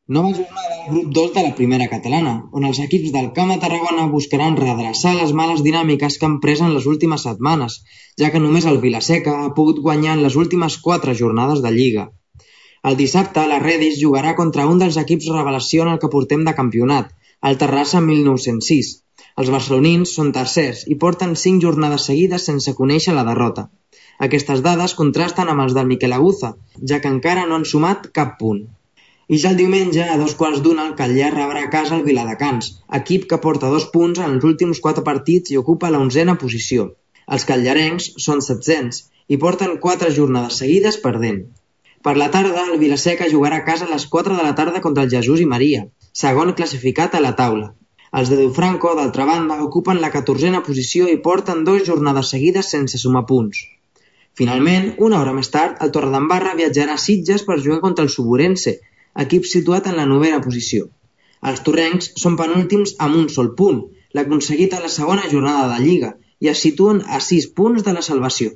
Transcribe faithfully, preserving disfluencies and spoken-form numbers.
Nova jornada al grup dos de la primera catalana, on els equips del Camp de Tarragona buscaran redreçar les males dinàmiques que han pres en les últimes setmanes, ja que només el Vilaseca ha pogut guanyar en les últimes quatre jornades de Lliga. El dissabte, la Redis jugarà contra un dels equips revelació en el que portem de campionat, el Terrassa mil nou-cents sis. Els barcelonins són tercers i porten cinc jornades seguides sense conèixer la derrota. Aquestes dades contrasten amb els del Miquel Aguza, ja que encara no han sumat cap punt. I ja el diumenge, a dos quarts d'una, el Catllar rebrà a casa el Viladecans, equip que porta dos punts en els últims quatre partits i ocupa la onzena posició. Els catllarrencs són setzents i porten quatre jornades seguides perdent. Per la tarda, el Vilaseca jugarà a casa a les quatre de la tarda contra el Jesús i Maria, segon classificat a la taula. Els de Dufranco, d'altra banda, ocupen la catorzena posició i porten dues jornades seguides sense sumar punts. Finalment, una hora més tard, el Torredembarra viatjarà a Sitges per jugar contra el Suburense, equip situat en la novena posició. Els torrencs són penúltims amb un sol punt, l'aconseguit a la segona jornada de Lliga, i es situen a sis punts de la salvació.